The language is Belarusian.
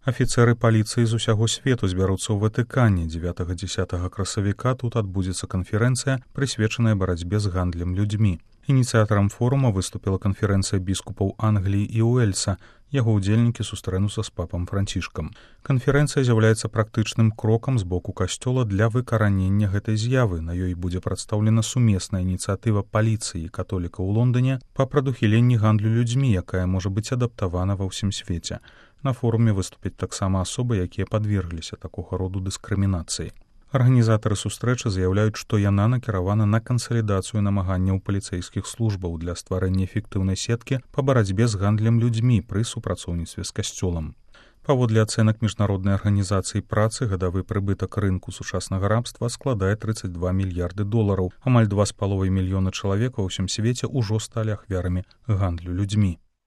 Афіцэры паліцыі з усяго свету збяруцца ў Ватыкане. 9-10 красавіка тут адбудзецца канферэнцыя, прысвечаная барацьбе з гандлем людзьмі. Ініцыятарам форума выступіла канферэнцыя біскупаў Англіі і Уэльса. Яго ўдзельнікі сустрэнуцца з папам Францішкам. Канферэнцыя з'яўляецца практычным крокам з боку касцёла для выкаранення гэтай з'явы. На ёй будзе прадстаўлена сумесная ініцыятыва паліцыі і католікаў у Лондоне па прадухіленні гандлю людзьмі, якая можа быць адаптавана ва ўсім свеце. На форуме выступяць таксама асобы, якія падвергліся такога роду дыскрымінацыі. Арганізатары сустрэчы заяўляюць, што яна накіравана на кансалідацыю намаганняў паліцэйскіх службаў для стварэння эфектыўнай сеткі па барацьбе з гандлем людзьмі пры супрацоўніцтве з касцёлам. Паводле ацэнак міжнароднай арганізацыі працы, гадавы прыбытак рынку сучаснага рабства складае $32 мільярды. Амаль 2,5 мільёна чалавек ва ўсім свеце ўжо сталі ахвярамі гандлю людзьмі.